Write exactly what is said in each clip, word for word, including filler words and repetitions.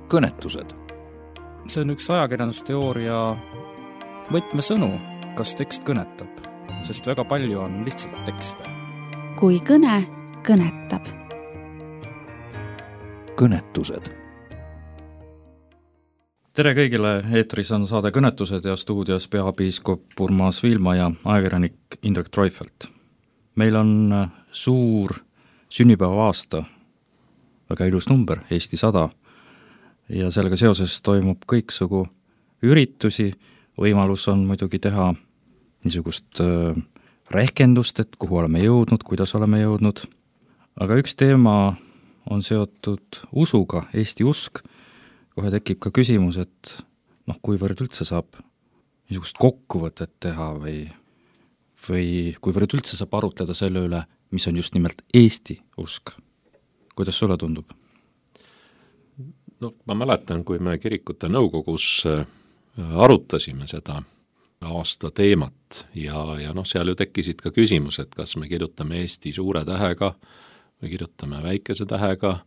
kõnetused. See on üks ajakirjandusteooria võtmesõnu, kas tekst kõnetab, sest väga palju on lihtsalt tekste. Kui kõne kõnetab. Kõnetused. Tere kõigile, eetris on saade Kõnetused ja stuudios peapiiskop Urmas Viilma ja ajakirjanik Indrek Treufelt. Meil on suur sünnipäeva aasta, väga ilus number, Eesti sada, ja sellega seoses toimub kõiksugu üritusi. Võimalus on muidugi teha niisugust äh, rehkendust, et kuhu oleme jõudnud, kuidas oleme jõudnud. Aga üks teema on seotud usuga, Eesti usk. Kohe tekib ka küsimus, et noh, kuivõrd üldse saab niisugust kokkuvõtet teha või, või kuivõrd üldse saab arutleda selle üle, mis on just nimelt Eesti usk. Kuidas sulle tundub? No, ma mäletan, kui me kirikute nõukogus arutasime seda aasta teemat ja, ja noh, seal ju tekkisid ka küsimused, kas me kirjutame Eesti suure tähega või kirjutame väikese tähega,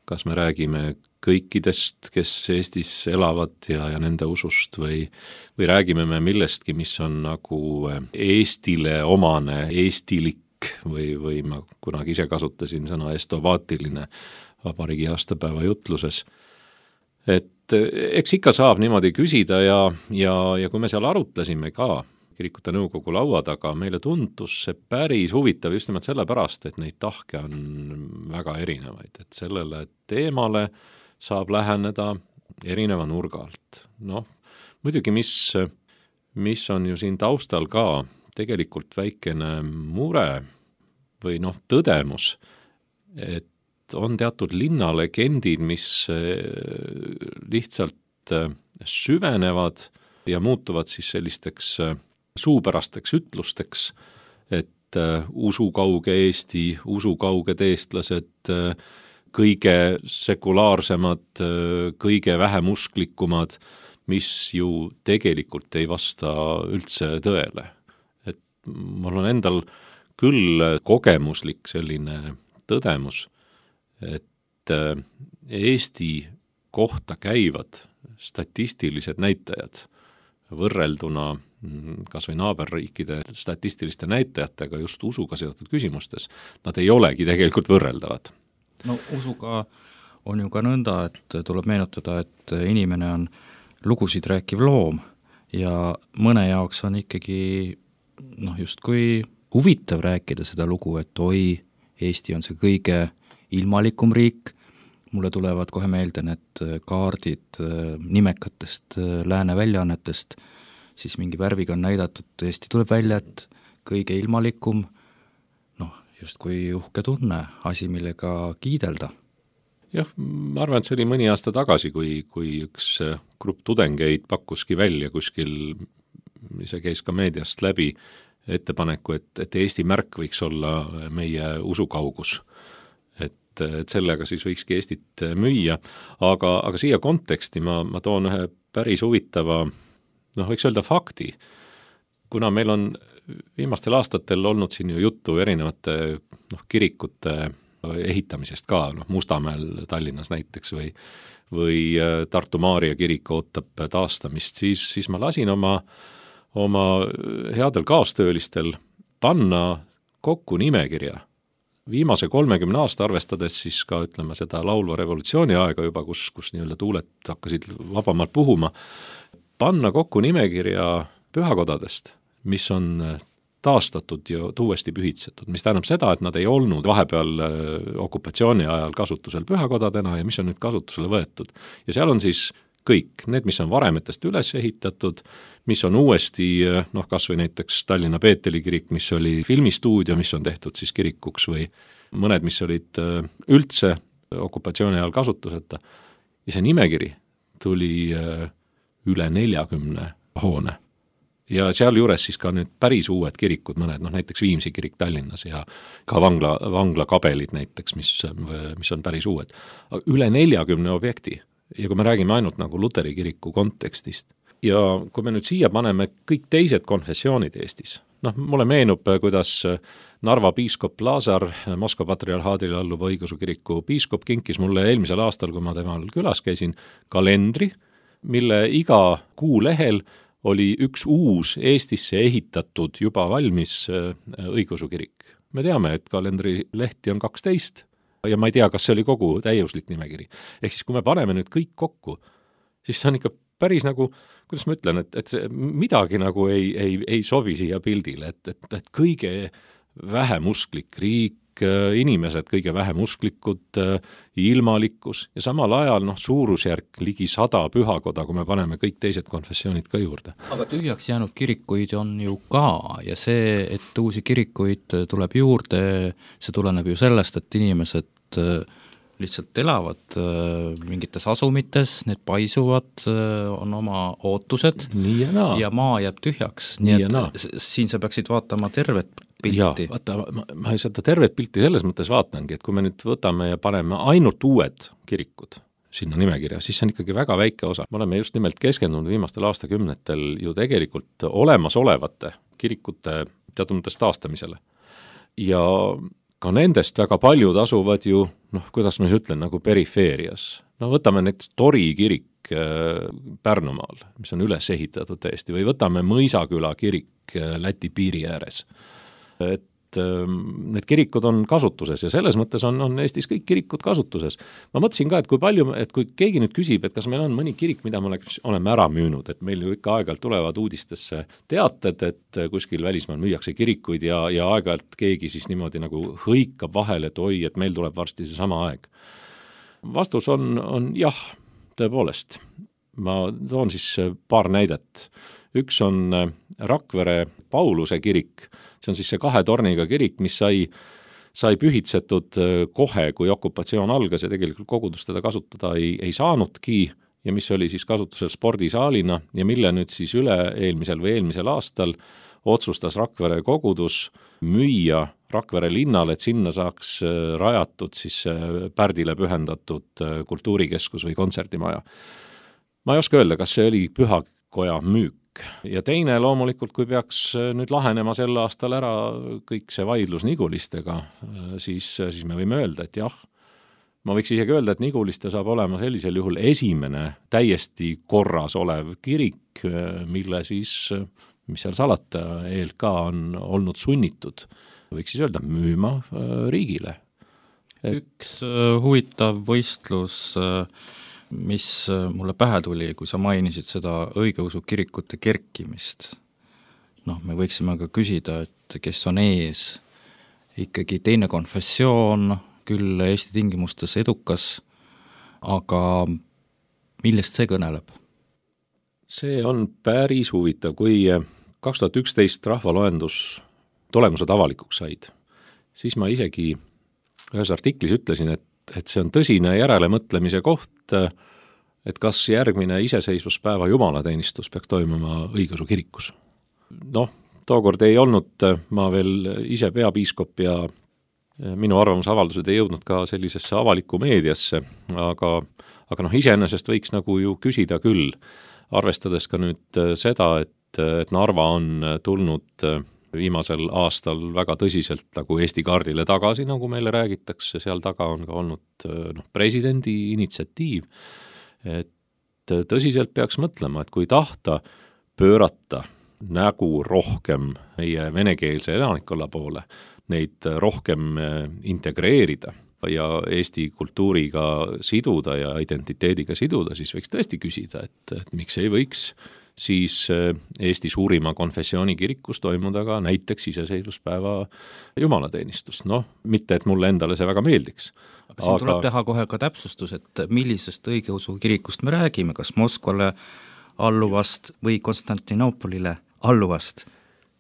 kas me räägime kõikidest, kes Eestis elavad ja, ja nende usust või, või räägime me millestki, mis on nagu Eestile omane, eestilik või, või ma kunagi ise kasutasin sõna estovaatiline vabariigi aastapäeva jutluses. Et eks ikka saab niimoodi küsida ja, ja, ja kui me seal arutlesime ka kirikute nõukogu laua taga, meile tundus see päris huvitav just nimelt sellepärast, et neid tahke on väga erinevaid, et sellele teemale saab läheneda erineva nurga alt. Noh, muidugi mis, mis on ju siin taustal ka tegelikult väikene mure või noh, tõdemus, et on teatud linnalegendid, mis lihtsalt süvenevad ja muutuvad siis sellisteks suupärasteks ütlusteks, et uh, usukauge Eesti, usukauged eestlased, uh, kõige sekulaarsemad, uh, kõige vähem usklikumad, mis ju tegelikult ei vasta üldse tõele. Et mul on endal küll kogemuslik selline tõdemus, et uh, Eesti kohta käivad statistilised näitajad võrrelduna kas või naaberriikide statistiliste näitajatega just usuga seotud küsimustes, nad ei olegi tegelikult võrreldavad. No usuga on ju ka nõnda, et tuleb meenutada, et inimene on lugusid rääkiv loom ja mõne jaoks on ikkagi noh, justkui huvitav rääkida seda lugu, et oi, Eesti on see kõige ilmalikum riik. Mulle tulevad kohe meelde need kaardid nimekatest lääne väljaannetest, siis mingi värviga on näidatud, Eesti tuleb välja, et kõige ilmalikum, noh, just kui uhke tunne, asi, millega kiidelda. Jah, ma arvan, et see oli mõni aasta tagasi, kui, kui üks grupp tudengeid pakkuski välja kuskil, see käis ka meediast läbi, ettepaneku, et, et Eesti märk võiks olla meie usukaugus. Et, et sellega siis võikski Eestit müüa, aga, aga siia konteksti ma, ma toon ühe päris huvitava noh, võiks öelda fakti, kuna meil on viimastel aastatel olnud siin ju juttu erinevate noh, kirikute ehitamisest ka, noh, Mustamäel Tallinnas näiteks või, või Tartu Maarja kirik ootab taastamist, siis, siis ma lasin oma, oma headel kaastöölistel panna kokku nimekirja. Viimase kolmekümne aasta arvestades siis ka, ütleme, seda laulva revolutsiooni aega juba, kus, kus nii-öelda tuuled hakkasid vabamalt puhuma, panna kokku nimekirja pühakodadest, mis on taastatud ja uuesti pühitsetud, mis tähendab seda, et nad ei olnud vahepeal okupatsiooni ajal kasutusel pühakodadena ja mis on nüüd kasutusele võetud. Ja seal on siis kõik, need, mis on varemetest üles ehitatud, mis on uuesti, noh, kas või näiteks Tallinna Peeteli kirik, mis oli filmistuudio, mis on tehtud siis kirikuks või mõned, mis olid üldse okupatsiooni ajal kasutuseta. Ja see nimekiri tuli üle neljakümne hoone. Ja seal juures siis ka nüüd päris uued kirikud, mõned, noh näiteks Viimsi kirik Tallinnas ja ka vangla, vangla kabelid näiteks, mis, mis on päris uued. Üle neljakümne objekti. Ja kui me räägime ainult nagu Luteri kiriku kontekstist. Ja kui me nüüd siia paneme kõik teised konfessioonid Eestis, noh, mulle meenub, kuidas Narva piiskop Lazar, Moskva patriarhaadile alluva õigeusu kiriku piiskop, kinkis mulle eelmisel aastal, kui ma temal külas käisin, kalendri, mille iga kuu lehel oli üks uus Eestisse ehitatud juba valmis õigeusu kirik. Me teame, et kalendri lehti on kaksteist ja ma ei tea, kas see oli kogu täiuslik nimekiri. Ehk siis, kui me paneme nüüd kõik kokku, siis see on ikka päris nagu, kuidas ma ütlen, et, et see midagi nagu ei, ei, ei sobi siia pildile, et, et, et kõige vähem usklik riik, inimesed kõige vähem usklikud, ilmalikkus ja samal ajal noh, suurusjärk ligi sada pühakoda, kui me paneme kõik teised konfessioonid ka juurde. Aga tühjaks jäänud kirikuid on ju ka ja see, et uusi kirikuid tuleb juurde, see tuleneb ju sellest, et inimesed lihtsalt elavad mingites asumites, need paisuvad, on oma ootused nii ja, ja maa jääb tühjaks, nii, nii et naa. Siin sa peaksid vaatama tervet pilti. Jaa, vaata, ma, ma seda tervet pilti selles mõttes vaatangi, et kui me nüüd võtame ja paneme ainult uued kirikud sinna nimekirja, siis see on ikkagi väga väike osa. Me oleme just nimelt keskendunud viimastel aastakümnetel ju tegelikult olemasolevate kirikute teatud mõttes taastamisele. Ja ka nendest väga paljud asuvad ju, noh, kuidas ma siis ütlen, nagu perifeerias. No võtame näiteks Tori kirik Pärnumaal, mis on üles ehitatud täiesti, või võtame Mõisaküla kirik Läti piiri ääres. Et need kirikud on kasutuses ja selles mõttes on, on Eestis kõik kirikud kasutuses. Ma mõtlesin ka, et kui palju, et kui keegi nüüd küsib, et kas meil on mõni kirik, mida me oleme ära müünud, et meil ju ikka aeg-ajalt tulevad uudistesse teated, et kuskil välismaal müüakse kirikuid ja, ja aeg-ajalt keegi siis niimoodi nagu hõikab vahel, et oi, et meil tuleb varsti see sama aeg. Vastus on, on jah, tõepoolest. Ma toon siis paar näidet. Üks on Rakvere Pauluse kirik, see on siis see kahe torniga kirik, mis sai, sai pühitsetud kohe, kui okupatsioon algas ja tegelikult kogudus teda kasutada ei, ei saanudki ja mis oli siis kasutusel spordisaalina ja mille nüüd siis üle eelmisel või eelmisel aastal otsustas Rakvere kogudus müüa Rakvere linnale, et sinna saaks rajatud siis Pärdile pühendatud kultuurikeskus või kontserdimaja. Ma ei oska öelda, kas see oli pühakoja müük. Ja teine loomulikult, kui peaks nüüd lahenema sel aastal ära kõik see vaidlus Nigulistega, siis, siis me võime öelda, et jah, ma võiks isegi öelda, et Niguliste saab olema sellisel juhul esimene täiesti korras olev kirik, mille siis, mis seal salata, E L K on olnud sunnitud, võiks siis öelda, müüma riigile. Et... Üks huvitav võistlus mis mulle pähe tuli, kui sa mainisid seda õigeusu kirikute kerkimist. Noh, me võiksime ka küsida, et kes on ees. Ikkagi teine konfessioon, küll Eesti tingimustes edukas, aga millest see kõneleb? See on päris huvitav, kui kaks tuhat üksteist rahvaloendus tulemused avalikuks said, siis ma isegi ühes artiklis ütlesin, et et see on tõsine järelemõtlemise koht, et kas järgmine iseseisvuspäeva jumalateenistus peaks toimuma õigeusu kirikus. Noh, tookord ei olnud ma veel ise peapiiskop ja minu arvamusavaldused ei jõudnud ka sellisesse avalikku meediasse, aga, aga noh, iseenesest võiks nagu ju küsida küll, arvestades ka nüüd seda, et, et Narva on tulnud viimasel aastal väga tõsiselt nagu Eesti kaardile tagasi, nagu meile räägitakse, seal taga on ka olnud noh, presidendi initsiatiiv, et tõsiselt peaks mõtlema, et kui tahta pöörata nägu rohkem meie venekeelse elanikkonna poole, neid rohkem integreerida ja Eesti kultuuriga siduda ja identiteediga siduda, siis võiks tõesti küsida, et, et miks ei võiks siis Eesti suurima konfessiooni kirikus toimuda ka näiteks iseseisvuspäeva jumalateenistust. Noh, mitte et mulle endale see väga meeldiks. Aga siin aga... tuleb teha kohe ka täpsustus, et millisest õigeusu kirikust me räägime, kas Moskvale alluvast või Konstantinoopolile alluvast.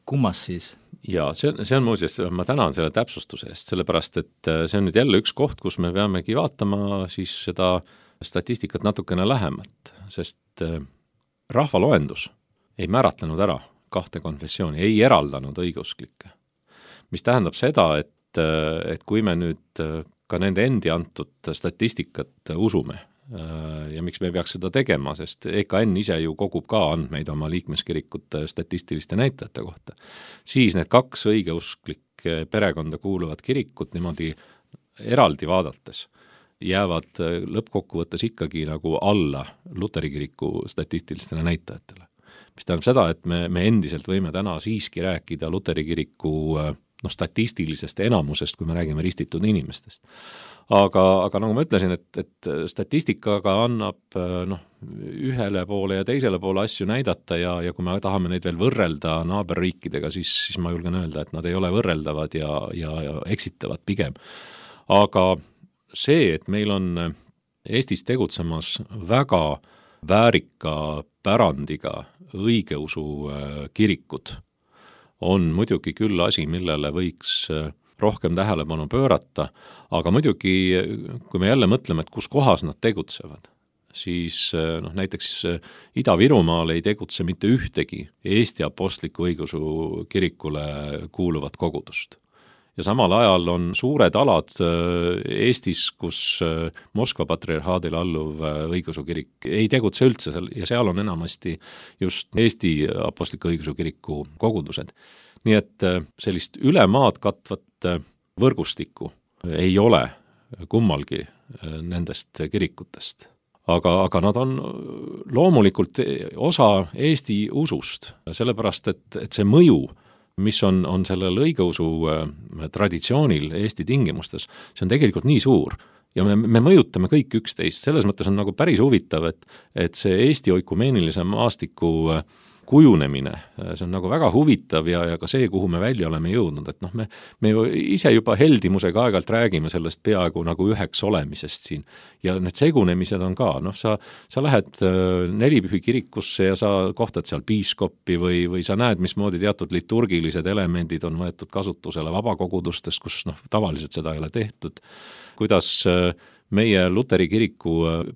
Kummas siis? Ja see, see on muuseas, ma tänan selle täpsustuse eest, sellepärast et see on nüüd jälle üks koht, kus me peamegi vaatama siis seda statistikat natukene lähemalt, sest rahvaloendus ei määratlenud ära kahte konfessiooni, ei eraldanud õigeusklikke. Mis tähendab seda, et, et kui me nüüd ka nende endi antud statistikat usume. Ja miks me peaks seda tegema, sest E K N ise ju kogub ka andmeid oma liikmeskirikute statistiliste näitajate kohta. Siis need kaks õigeusklik perekonda kuuluvad kirikut niimoodi eraldi vaadates jäävad lõppkokkuvõttes ikkagi nagu alla Luteri kiriku statistilistele näitajatele. Mis tähendab seda, et me, me endiselt võime täna siiski rääkida Luteri kiriku no, statistilisest enamusest, kui me räägime ristitud inimestest. Aga, aga nagu ma ütlesin, et, et statistikaga annab noh, ühele poole ja teisele poole asju näidata ja, ja kui me tahame neid veel võrrelda naaberriikidega, siis, siis ma julgen öelda, et nad ei ole võrreldavad ja, ja, ja eksitavad pigem. Aga see, et meil on Eestis tegutsemas väga väärika pärandiga õigeusu kirikud, on muidugi küll asi, millele võiks rohkem tähelepanu pöörata, aga muidugi, kui me jälle mõtleme, et kus kohas nad tegutsevad, siis noh, näiteks Ida-Virumaal ei tegutse mitte ühtegi Eesti apostliku õigeusu kirikule kuuluvat kogudust. Ja samal ajal on suured alad Eestis, kus Moskva patriarhaadile alluv õigeusu kirik ei tegutse üldse ja seal on enamasti just Eesti apostliku õigeusu kiriku kogudused. Nii et sellist ülemaad katvat võrgustikku ei ole kummalgi nendest kirikutest. Aga, aga nad on loomulikult osa Eesti usust, sellepärast et, et see mõju, mis on, on sellel õigeusu traditsioonil Eesti tingimustes, see on tegelikult nii suur ja me, me mõjutame kõik üksteist. Selles mõttes on nagu päris huvitav, et, et see Eesti oikumeenilise maastiku kujunemine, see on nagu väga huvitav ja, ja ka see, kuhu me välja oleme jõudnud, et noh, me, me ise juba heldimusega aegalt räägime sellest peaaegu nagu üheks olemisest siin ja need segunemised on ka, noh, sa, sa lähed Nelipühi kirikusse ja sa kohtad seal piiskoppi või, või sa näed, mismoodi teatud liturgilised elemendid on võetud kasutusele vabakogudustest, kus noh, tavaliselt seda ei ole tehtud, kuidas meie Luteri kiriku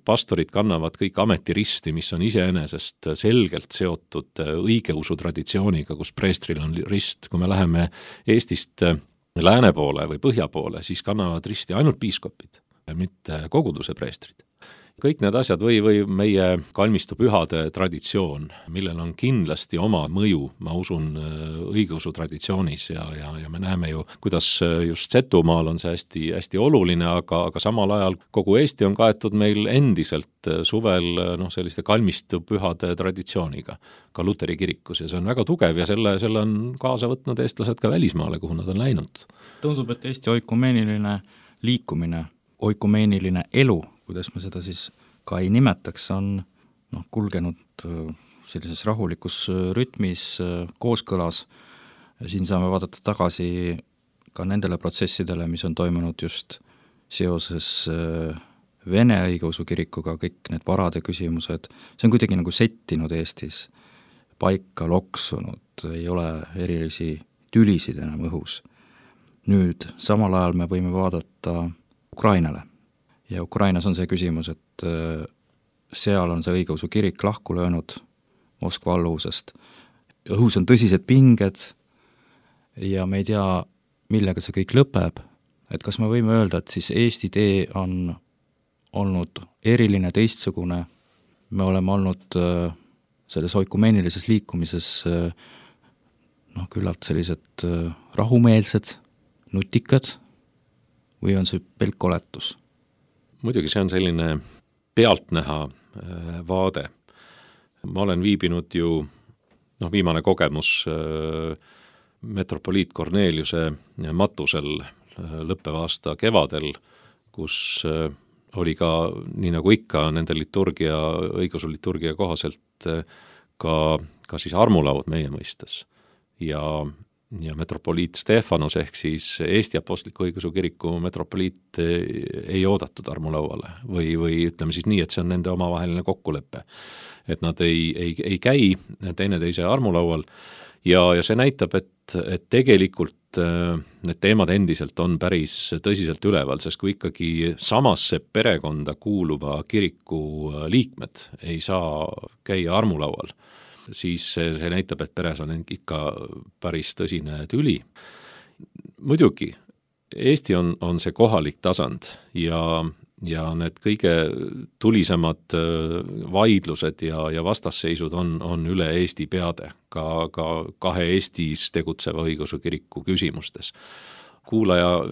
pastorid kannavad kõik ametiristi, mis on iseenesest selgelt seotud õigeusu traditsiooniga, kus preestril on rist. Kui me läheme Eestist lääne poole või põhja poole, siis kannavad risti ainult piiskopid, mitte koguduse preestrid. Kõik need asjad või, või meie kalmistu pühade traditsioon, millel on kindlasti oma mõju, ma usun, õigeusu traditsioonis ja, ja, ja me näeme ju, kuidas just Setumaal on see hästi, hästi oluline, aga, aga samal ajal kogu Eesti on kaetud meil endiselt suvel noh, selliste kalmistu pühade traditsiooniga, ka Luteri kirikus ja see on väga tugev ja selle, selle on kaasa võtnud eestlased ka välismaale, kuhu nad on läinud. Tundub, et Eesti oikumeeniline liikumine, oikumeeniline elu, kuidas me seda siis ka ei nimetaks, on noh, kulgenud sellises rahulikus rütmis, kooskõlas. Siin saame vaadata tagasi ka nendele protsessidele, mis on toimunud just seoses Vene õigeusu kirikuga, kõik need varade küsimused. See on kuidagi nagu settinud Eestis, paika loksunud, ei ole erilisi tülisid enam õhus. Nüüd samal ajal me võime vaadata Ukrainale. Ja Ukrainas on see küsimus, et seal on see õigeusu kirik lahku löönud Moskva alluvusest. Õhus on tõsised pinged ja me ei tea, millega see kõik lõpeb. Et kas me võime öelda, et siis Eesti tee on olnud eriline, teistsugune. Me oleme olnud selles oikumeenilises liikumises noh, küllalt sellised rahumeelsed, nutikad või on see pelk oletus? Muidugi see on selline pealtnäha vaade. Ma olen viibinud ju, noh, viimane kogemus metropoliit Korneliuse matusel lõppeva aasta kevadel, kus oli ka, nii nagu ikka, nende liturgia, õigeusu liturgia kohaselt ka, ka siis armulaud meie mõistes. Ja ja metropoliit Stefanos ehk siis Eesti apostliku õigeusu kiriku metropoliit ei oodatud armulauale või, või ütleme siis nii, et see on nende omavaheline kokkulepe, et nad ei, ei, ei käi teineteise armulaual ja, ja see näitab, et, et tegelikult need teemad endiselt on päris tõsiselt üleval, sest kui ikkagi samasse perekonda kuuluva kiriku liikmed ei saa käia armulaual, siis see, see näitab, et peres on ikka päris tõsine tüli. Muidugi Eesti on, on see kohalik tasand ja, ja need kõige tulisemad vaidlused ja, ja vastasseisud on, on üle Eesti peade, ka, ka kahe Eestis tegutseva õigeusu kiriku küsimustes. Kuulaja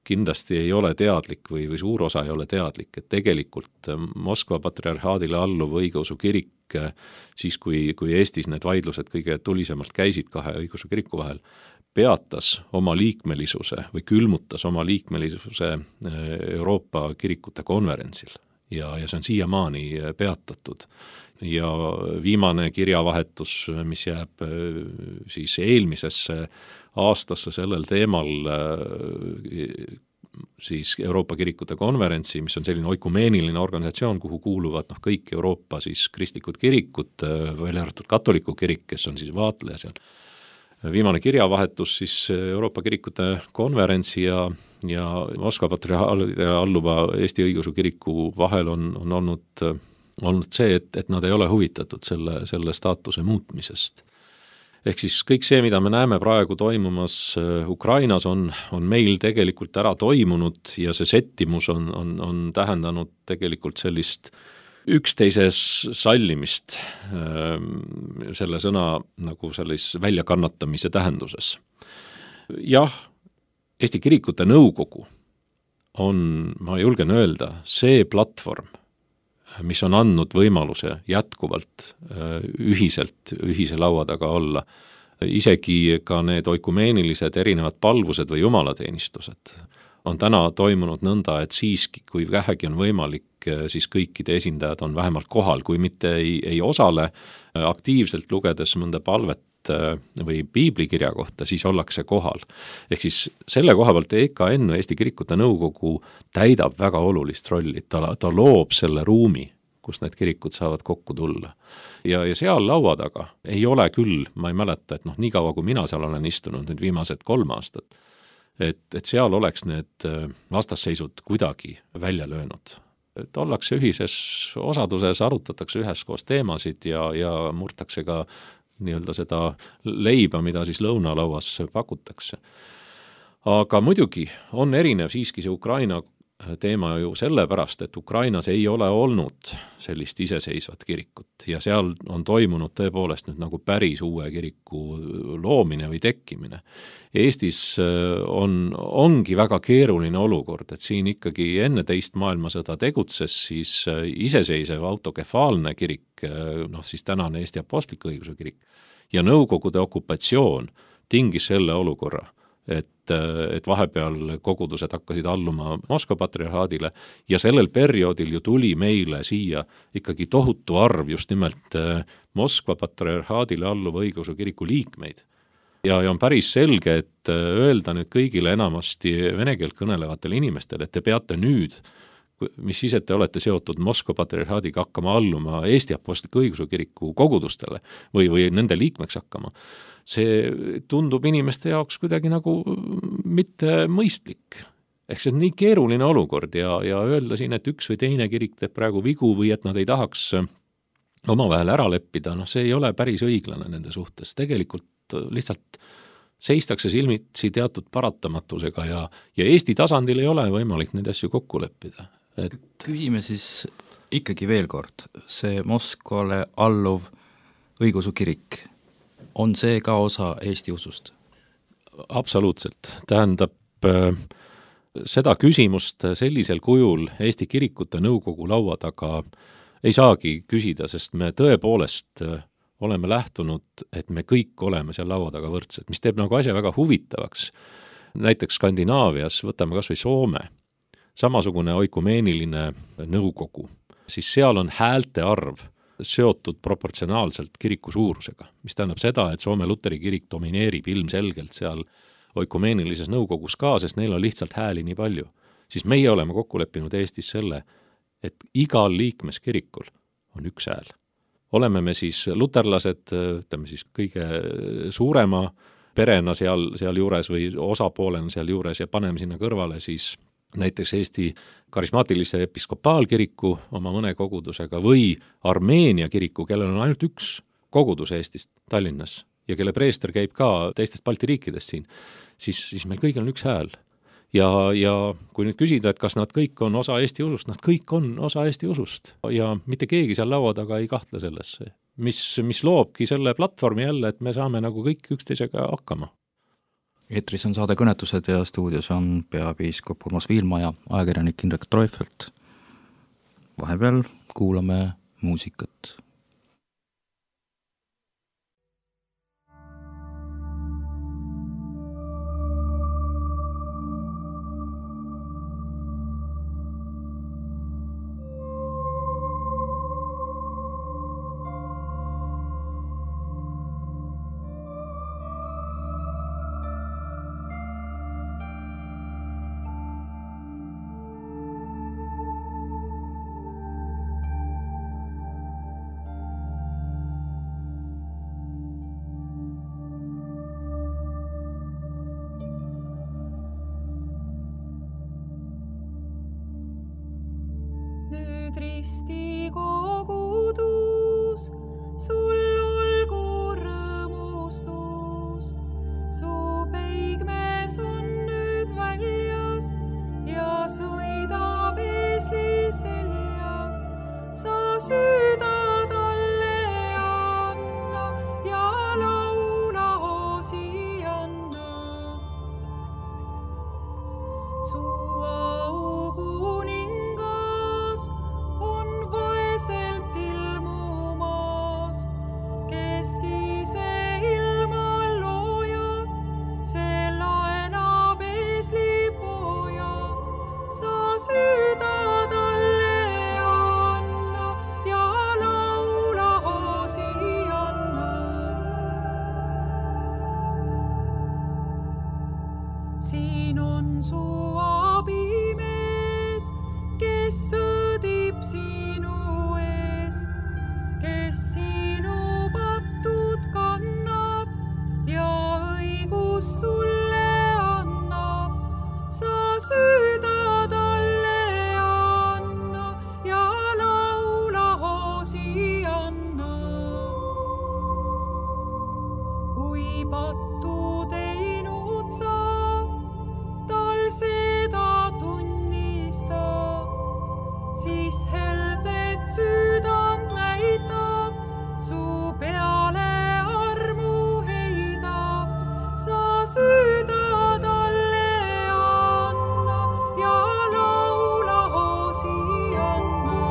kindlasti ei ole teadlik või, või suur osa ei ole teadlik, et tegelikult Moskva patriarhaadile alluv õigeusu kirik, siis kui, kui Eestis need vaidlused kõige tulisemalt käisid kahe õigeusu kiriku vahel, peatas oma liikmelisuse või külmutas oma liikmelisuse Euroopa kirikute konverentsil ja, ja see on siiamaani peatatud. Ja viimane kirjavahetus, mis jääb siis eelmisesse aastasse sellel teemal siis Euroopa kirikute konverentsi, mis on selline oikumeeniline organisatsioon, kuhu kuuluvad noh, kõik Euroopa siis kristlikud kirikud, välja arvatud katoliku kirik, kes on siis vaatleja seal. Viimane kirjavahetus siis Euroopa kirikute konverentsi ja, ja Moskva patriarhaadile alluva Eesti õigeusu kiriku vahel on, on olnud, olnud see, et, et nad ei ole huvitatud selle, selle staatuse muutmisest. Ehk siis kõik see, mida me näeme praegu toimumas Ukrainas, on, on meil tegelikult ära toimunud ja see settimus on, on, on tähendanud tegelikult sellist üksteises sallimist selle sõna nagu sellis väljakannatamise tähenduses. Jah, Eesti kirikute nõukogu on, ma julgen öelda, see platvorm, mis on andnud võimaluse jätkuvalt ühiselt, ühise laua taga olla. Isegi ka need oikumeenilised erinevad palvused või jumalateenistused on täna toimunud nõnda, et siiski, kui vähegi on võimalik, siis kõikide esindajad on vähemalt kohal, kui mitte ei, ei osale aktiivselt lugedes mõnda palvet või piiblikirja kohta, siis ollakse kohal. Ehk siis selle koha pealt E K N, Eesti kirikute nõukogu, täidab väga olulist rolli, ta, ta loob selle ruumi, kus need kirikud saavad kokku tulla. Ja, ja seal laua taga ei ole küll, ma ei mäleta, et noh, nii kaua kui mina seal olen istunud, nüüd viimased kolm aastat, et, et seal oleks need vastasseisud kuidagi välja löönud. Et ollakse ühises osaduses, arutatakse üheskoos teemasid ja, ja murtakse ka nii-öelda seda leiba, mida siis lõunalauas pakutakse. Aga muidugi on erinev siiski see Ukraina teema ju sellepärast, et Ukrainas ei ole olnud sellist iseseisvat kirikut ja seal on toimunud tõepoolest nüüd nagu päris uue kiriku loomine või tekkimine. Eestis on, ongi väga keeruline olukord, et siin ikkagi enne teist maailmasõda tegutses siis iseseisev autokefaalne kirik, noh siis tänane Eesti apostliku õigeusu kirik ja Nõukogude okupatsioon tingis selle olukorra, et, et vahepeal kogudused hakkasid alluma Moskva patriarhaadile ja sellel perioodil ju tuli meile siia ikkagi tohutu arv just nimelt Moskva patriarhaadile alluva õigeusu kiriku liikmeid. Ja, ja on päris selge, et öelda nüüd kõigile enamasti vene keelt kõnelevatele inimestele, et te peate nüüd, mis ise te olete seotud Moskva patriarhaadiga hakkama alluma Eesti apostliku õigeusu kiriku kogudustele või, või nende liikmeks hakkama, see tundub inimeste jaoks kuidagi nagu mitte mõistlik. Ehk see on nii keeruline olukord ja, ja öelda siin, et üks või teine kirik teeb praegu vigu või et nad ei tahaks omavahel ära leppida, noh see ei ole päris õiglane nende suhtes. Tegelikult lihtsalt seistakse silmitsi teatud paratamatusega ja, ja Eesti tasandil ei ole võimalik neid asju kokku leppida. Et... Küsime siis ikkagi veel kord, see Moskvale alluv õigeusu kirik, on see ka osa Eesti usust? Absoluutselt. Tähendab, seda küsimust sellisel kujul Eesti kirikute nõukogu laua taga ei saagi küsida, sest me tõepoolest oleme lähtunud, et me kõik oleme seal laua taga võrdsed, mis teeb nagu asja väga huvitavaks. Näiteks Skandinaavias, võtame kas või Soome, samasugune oikumeeniline nõukogu, siis seal on häälte arv seotud proportsionaalselt kiriku suurusega, mis tähendab seda, et Soome Luteri kirik domineerib ilmselgelt seal oikumeenilises nõukogus ka, sest neil on lihtsalt hääli nii palju. Siis meie oleme kokku leppinud Eestis selle, et igal liikmeskirikul on üks hääl. Oleme me siis luterlased, ütleme siis kõige suurema perena seal, seal juures või osapoolena seal juures ja paneme sinna kõrvale siis näiteks Eesti karismaatilise episkopaalkiriku oma mõne kogudusega või Armeenia kiriku, kellel on ainult üks kogudus Eestist Tallinnas ja kelle preester käib ka teistest Balti riikidest siin, siis, siis meil kõigil on üks hääl. ja, ja kui nüüd küsida, et kas nad kõik on osa Eesti usust, nad kõik on osa Eesti usust ja mitte keegi seal laua taga ei kahtle sellesse, mis, mis loobki selle platvormi jälle, et me saame nagu kõik üksteisega hakkama. Eetris on saade Kõnetused ja stuudios on peapiiskop Urmas Viilma ja ajakirjanik Indrek Treufelt. Vahepeal kuulame muusikat. Risti kogudus, sul olgu rõõmustus. Su peigmees on nüüd väljas ja sõidab eesli seljas. Sa süüda talle anna ja laula Hosianna. Su siin on su abimees, kes sõdib sinu eest, kes sinu patud kannab ja õigus sulle annab. Sa süüda talle anna ja laula Hosianna. Kui pattu teinud sa, seda tunnista, siis heldet süüdand näitab, su peale armu heidab. Sa süüda talle anna ja laula Hosianna.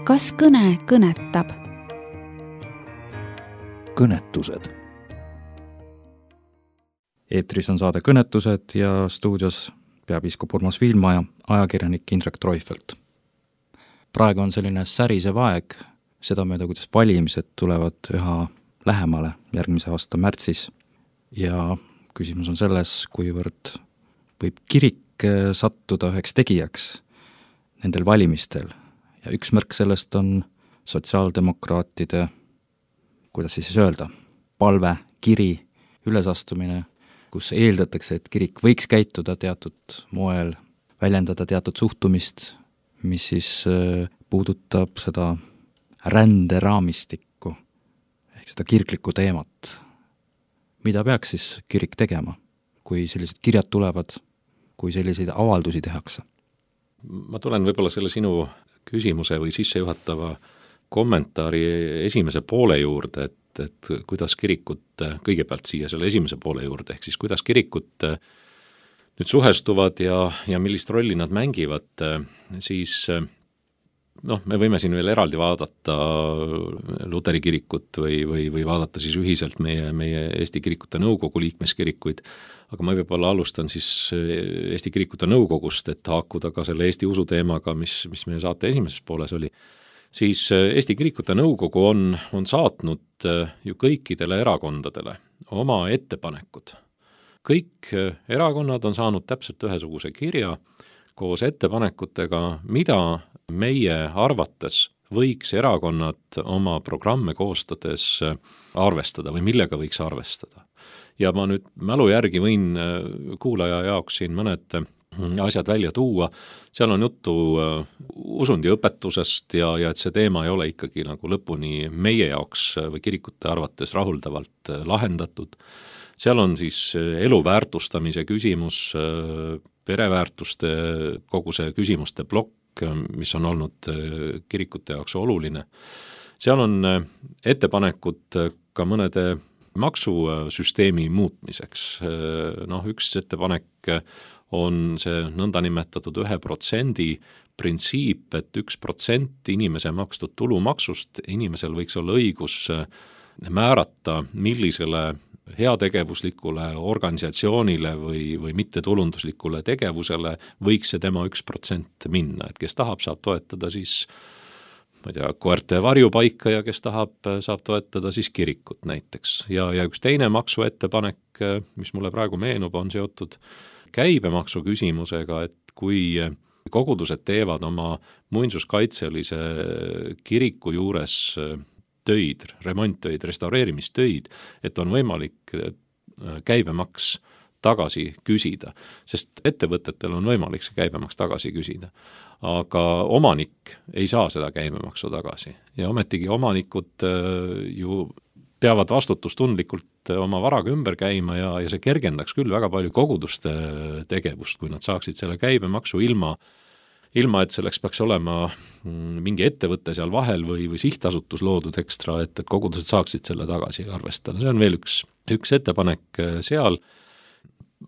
kas kõne kõnetab? Kõnetused. Eetris on saade Kõnetused ja stuudios peapiiskop Urmas Viilma ja ajakirjanik Indrek Treufelt. Praegu on selline särisev aeg, seda mööda, kuidas valimised tulevad üha lähemale järgmise aasta märtsis ja küsimus on selles, kuivõrd võib kirik sattuda üheks tegijaks nendel valimistel ja üks märk sellest on sotsiaaldemokraatide, kuidas siis öelda, palve, kiri, ülesastumine, kus eeldatakse, et kirik võiks käituda teatud moel, väljendada teatud suhtumist, mis siis puudutab seda ränderaamistikku ehk seda kirklikku teemat. Mida peaks siis kirik tegema, kui sellised kirjad tulevad, kui selliseid avaldusi tehakse? Ma tulen võib-olla selle sinu küsimuse või sissejuhatava kommentaari esimese poole juurde, et, et kuidas kirikut, kõigepealt siia selle esimese poole juurde, ehk siis kuidas kirikut nüüd suhestuvad ja, ja millist rolli nad mängivad, siis noh, me võime siin veel eraldi vaadata Luteri kirikut või, või, või vaadata siis ühiselt meie, meie Eesti Kirikute Nõukogu liikmeskirikuid, aga ma võib-olla alustan siis Eesti Kirikute Nõukogust, et haakuda ka selle Eesti usu teemaga, mis, mis meie saate esimeses pooles oli. Siis Eesti Kirikute Nõukogu on, on saatnud ju kõikidele erakondadele oma ettepanekud. Kõik erakonnad on saanud täpselt ühesuguse kirja koos ettepanekutega, mida meie arvates võiks erakonnad oma programme koostades arvestada või millega võiks arvestada. Ja ma nüüd mälu järgi võin kuulaja jaoks siin mõned asjad välja tuua, seal on juttu usundi õpetusest ja, ja et see teema ei ole ikkagi nagu lõpuni meie jaoks või kirikute arvates rahuldavalt lahendatud. Seal on siis elu väärtustamise küsimus, pereväärtuste kogu see küsimuste plokk, mis on olnud kirikute jaoks oluline. Seal on ettepanekud ka mõnede maksusüsteemi muutmiseks. Noh, üks ettepanek on see nõndanimetatud ühe protsendi printsiip, et üks protsent inimese makstud tulumaksust inimesel võiks olla õigus määrata, millisele heategevuslikule organisatsioonile või, või mittetulunduslikule tegevusele võiks see tema üks protsent minna, et kes tahab, saab toetada siis ma ei tea, koerte varjupaika ja kes tahab, saab toetada siis kirikut näiteks. Ja, ja üks teine maksuettepanek, mis mulle praegu meenub, on seotud käibemaksu küsimusega, et kui kogudused teevad oma muinsuskaitselise kiriku juures töid, remonttöid, restaureerimistöid, et on võimalik käibemaks tagasi küsida, sest ettevõtetel on võimalik see käibemaks tagasi küsida. Aga omanik ei saa seda käibemaksu tagasi ja ometigi omanikud ju peavad vastutustundlikult oma varaga ümber käima ja, ja see kergendaks küll väga palju koguduste tegevust, kui nad saaksid selle käibemaksu ilma ilma, et selleks peaks olema mingi ettevõte seal vahel või, või sihtasutus loodud ekstra, et, et kogudused saaksid selle tagasi arvestada. See on veel üks, üks ettepanek seal.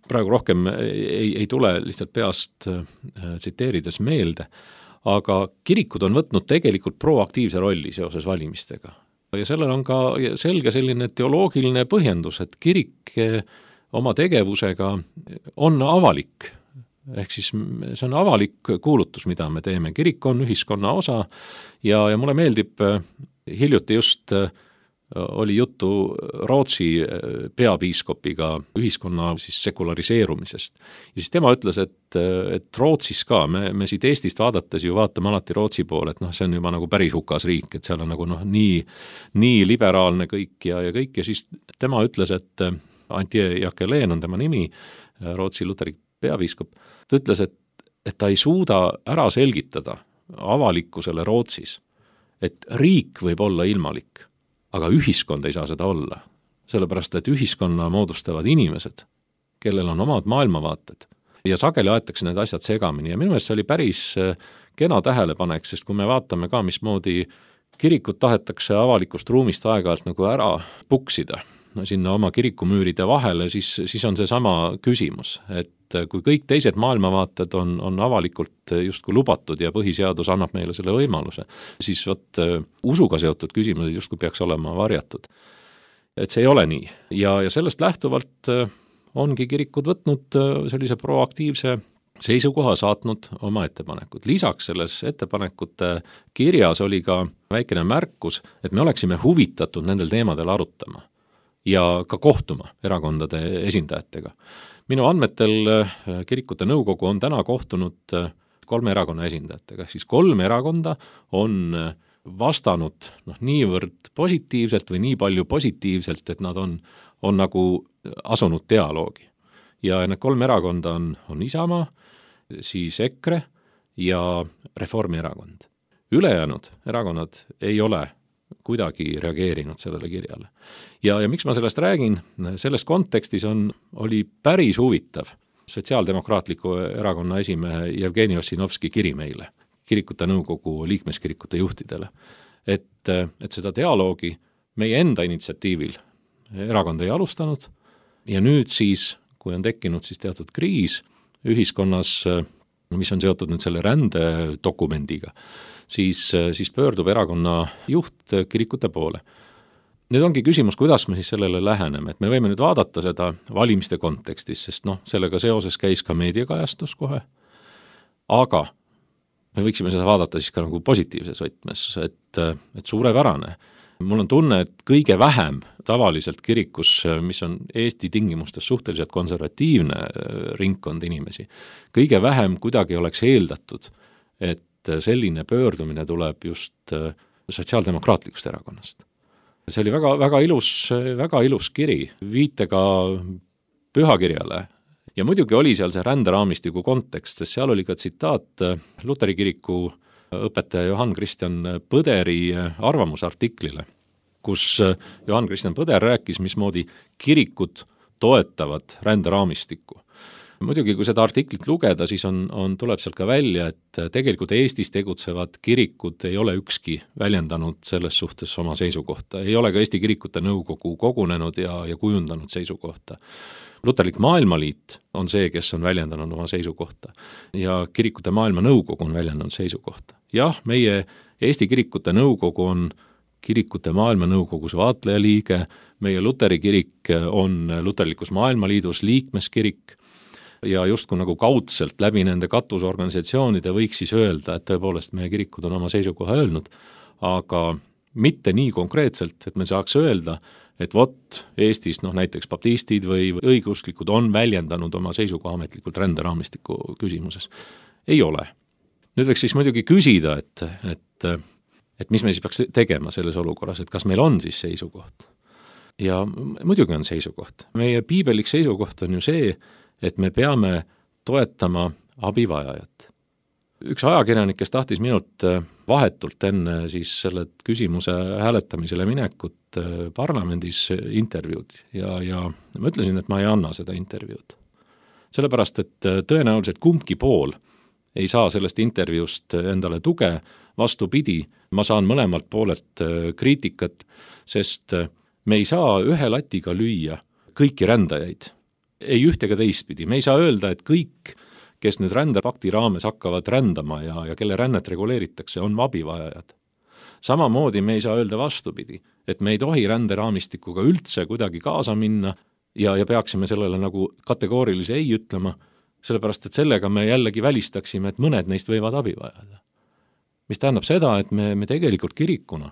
Praegu rohkem ei, ei tule lihtsalt peast tsiteerides meelde, aga kirikud on võtnud tegelikult proaktiivse rolli seoses valimistega. Ja sellel on ka selge selline teoloogiline põhjendus, et kirik oma tegevusega on avalik. Ehk siis see on avalik kuulutus, mida me teeme. Kirik on ühiskonna osa ja, ja mulle meeldib, hiljuti just oli juttu Rootsi peapiiskopiga ühiskonna siis sekulariseerumisest. Ja siis tema ütles, et, et Rootsis ka, me, me siit Eestist vaadates ju vaatame alati Rootsi poole, et noh, see on juba nagu päris hukas riik, et seal on nagu noh, nii, nii liberaalne kõik ja, ja kõik. Ja siis tema ütles, et Antje Jackelin on tema nimi, Rootsi luteri peapiiskop, ta ütles, et, et ta ei suuda ära selgitada avalikkusele Rootsis, et riik võib olla ilmalik, aga ühiskond ei saa seda olla, sellepärast et ühiskonna moodustavad inimesed, kellel on omad maailmavaated ja sageli aetakse need asjad segamini ja minu meelest see oli päris kena tähelepanek, sest kui me vaatame ka, mismoodi kirikut tahetakse avalikust ruumist aeg-ajalt nagu ära puksida, sinna oma kirikumüüride vahele, siis, siis on see sama küsimus, et kui kõik teised maailmavaated on, on avalikult justkui lubatud ja põhiseadus annab meile selle võimaluse, siis võt usuga seotud küsimused justkui peaks olema varjatud. Et see ei ole nii ja, ja sellest lähtuvalt ongi kirikud võtnud sellise proaktiivse seisukoha, saatnud oma ettepanekud. Lisaks selles ettepanekute kirjas oli ka väikene märkus, et me oleksime huvitatud nendel teemadel arutama ja ka kohtuma erakondade esindajatega. Minu andmetel kirikute nõukogu on täna kohtunud kolme erakonna esindajatega, siis kolm erakonda on vastanud noh, niivõrd positiivselt või nii palju positiivselt, et nad on, on nagu asunud dialoogi. Ja need kolm erakonda on, on Isamaa, siis EKRE ja Reformierakond. Ülejäänud erakonnad ei ole kuidagi reageerinud sellele kirjale. Ja, ja miks ma sellest räägin? Selles kontekstis on, oli päris huvitav Sotsiaaldemokraatliku erakonna esimehe Jevgeni Ossinovski kiri meile, kirikute nõukogu liikmeskirikute juhtidele, et, et seda dialoogi meie enda initsiatiivil erakond ei alustanud ja nüüd siis, kui on tekkinud siis teatud kriis ühiskonnas, mis on seotud nüüd selle rändedokumendiga, siis, siis pöördub erakonna juht kirikute poole. Nüüd ongi küsimus, kuidas me siis sellele läheneme, et me võime nüüd vaadata seda valimiste kontekstis, sest noh, sellega seoses käis ka meediakajastus kohe, aga me võiksime seda vaadata siis ka nagu positiivses võtmes, et, et suurepärane. Mul on tunne, et kõige vähem tavaliselt kirikus, mis on Eesti tingimustes suhteliselt konservatiivne ringkond inimesi, kõige vähem kuidagi oleks eeldatud, et selline pöördumine tuleb just sotsiaaldemokraatlikust erakonnast. See oli väga, väga ilus, väga ilus kiri, viitega pühakirjale ja muidugi oli seal see ränderaamistiku kontekst, sest seal oli ka tsitaat Luteri kiriku õpetaja Johann Christian Põderi arvamusartiklile, kus Johann Christian Põder rääkis, mismoodi kirikud toetavad ränderaamistikku. Muidugi, kui seda artiklit lugeda, siis on, on, tuleb sealt ka välja, et tegelikult Eestis tegutsevad kirikud ei ole ükski väljendanud selles suhtes oma seisukohta. Ei ole ka Eesti kirikute nõukogu kogunenud ja, ja kujundanud seisukohta. Luterlik maailmaliit on see, kes on väljendanud oma seisukohta ja kirikute maailma nõukogu on väljendanud seisukohta. Jah, meie Eesti kirikute nõukogu on kirikute maailma nõukogus vaatlejaliige, meie Luteri kirik on Luterlikus maailmaliidus liikmeskirik ja justkui nagu kaudselt läbi nende katusorganisatsioonide võiks siis öelda, et tõepoolest meie kirikud on oma seisukoha öelnud, aga mitte nii konkreetselt, et me saaks öelda, et vot Eestis noh, näiteks baptistid või õigeusklikud on väljendanud oma seisukoha ametlikult ränderaamistiku küsimuses. Ei ole. Nüüd võiks siis muidugi küsida, et, et, et mis me siis peaks tegema selles olukorras, et kas meil on siis seisukoht. Ja muidugi on seisukoht. Meie piibelik seisukoht on ju see, et me peame toetama abivajajat. Üks ajakirjanik, kes tahtis minult vahetult enne siis selle küsimuse hääletamisele minekut parlamendis intervjuud ja, ja ma ütlesin, et ma ei anna seda intervjuud. Sellepärast, et tõenäoliselt kumbki pool ei saa sellest intervjuust endale tuge, vastupidi, ma saan mõlemalt poolelt kriitikat, sest me ei saa ühe latiga lüüa kõiki rändajaid, ei üht ega teistpidi, me ei saa öelda, et kõik kes nüüd rändepakti raames hakkavad rändama ja, ja kelle rännet reguleeritakse, on abivajajad. Samamoodi me ei saa öelda vastupidi, et me ei tohi ränderaamistikuga üldse kuidagi kaasa minna ja, ja peaksime sellele nagu kategoorilise ei ütlema, sellepärast et sellega me jällegi välistaksime, et mõned neist võivad abivajada. Mis tähendab seda, et me, me tegelikult kirikuna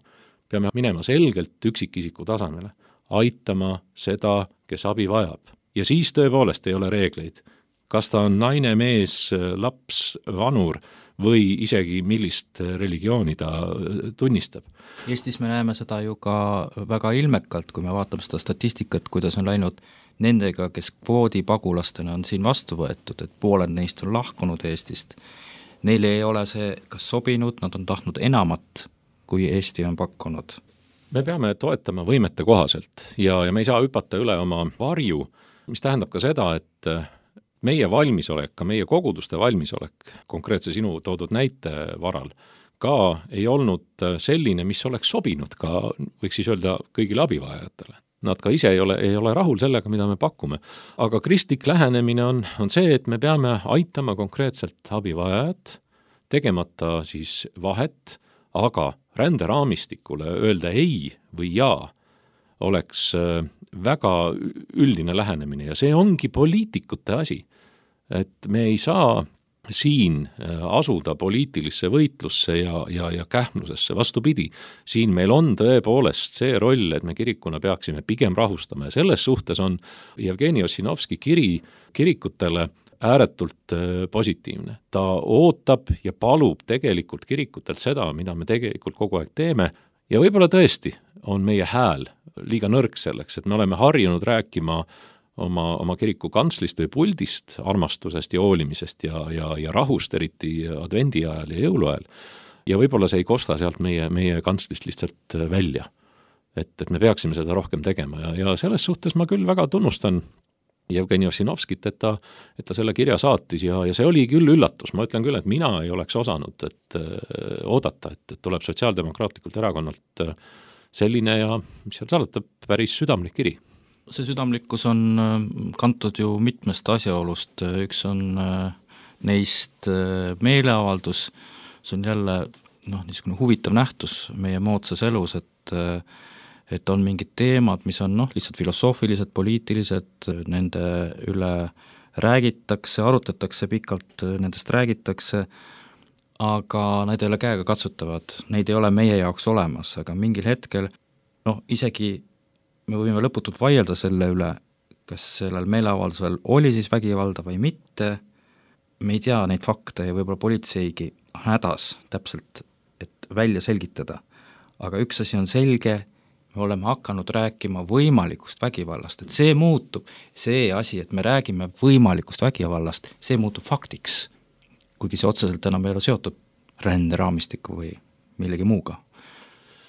peame minema selgelt üksikisiku tasemele, aitama seda, kes abi vajab. Ja siis tõepoolest ei ole reegleid. Kas ta on naine, mees, laps, vanur või isegi millist religiooni ta tunnistab. Eestis me näeme seda ju ka väga ilmekalt, kui me vaatame seda statistikat, kuidas on läinud nendega, kes kvoodipagulastena on siin vastu võetud, et pooled neist on lahkunud Eestist. Neile ei ole see kas sobinud, nad on tahtnud enamat, kui Eesti on pakkunud. Me peame toetama võimete kohaselt ja, ja me ei saa hüpata üle oma varju, mis tähendab ka seda, et meie valmisolek, ka meie koguduste valmisolek, konkreetse sinu toodud näite varal, ka ei olnud selline, mis oleks sobinud ka, võiks siis öelda, kõigile abivajajatele. nad ka ise ei ole, ei ole rahul sellega, mida me pakume. Aga kristlik lähenemine on, on see, et me peame aitama konkreetselt abivajajat, tegemata siis vahet, aga ränderaamistikule öelda ei või jaa oleks väga üldine lähenemine ja see ongi poliitikute asi. Et me ei saa siin asuda poliitilisse võitlusse ja, ja, ja kähmlusesse. Vastupidi, siin meil on tõepoolest see roll, et me kirikuna peaksime pigem rahustama ja selles suhtes on Jevgeni Ossinovski kiri kirikutele ääretult positiivne. Ta ootab ja palub tegelikult kirikutelt seda, mida me tegelikult kogu aeg teeme ja võib-olla tõesti on meie hääl liiga nõrk selleks, et me oleme harjunud rääkima oma, oma kiriku kantslist või puldist, armastusest ja hoolimisest ja, ja, ja rahust, eriti advendi ajal ja jõuluajal. Ja võib-olla see ei kosta sealt meie, meie kantslist lihtsalt välja. Et, et me peaksime seda rohkem tegema ja, ja selles suhtes ma küll väga tunnustan Jevgeni Ossinovskit, et ta, et ta selle kirja saatis ja, ja see oli küll üllatus. Ma ütlen küll, et mina ei oleks osanud et, äh, oodata, et, et tuleb sotsiaaldemokraatlikult erakonnalt äh, selline ja mis seal salata, päris südamlik kiri. See südamlikkus on kantud ju mitmest asjaolust. Üks on äh, neist äh, meeleavaldus, see on jälle noh, niisugune huvitav nähtus meie moodsas elus, et äh, et on mingid teemad, mis on noh, lihtsalt filosoofilised, poliitilised, nende üle räägitakse, arutatakse pikalt, nendest räägitakse, aga need ei ole käega katsutavad, neid ei ole meie jaoks olemas, aga mingil hetkel noh, isegi me võime lõputult vaielda selle üle, kas sellel meeleavaldusel oli siis vägivalda või mitte, me ei tea neid fakte ja võib-olla politseigi hädas täpselt, et välja selgitada, aga üks asi on selge, me oleme hakanud rääkima võimalikust vägivallast, et see muutub, see asi, et me räägime võimalikust vägivallast, see muutub faktiks, kuigi see otseselt enam ei ole seotud ränderaamistiku või millegi muuga.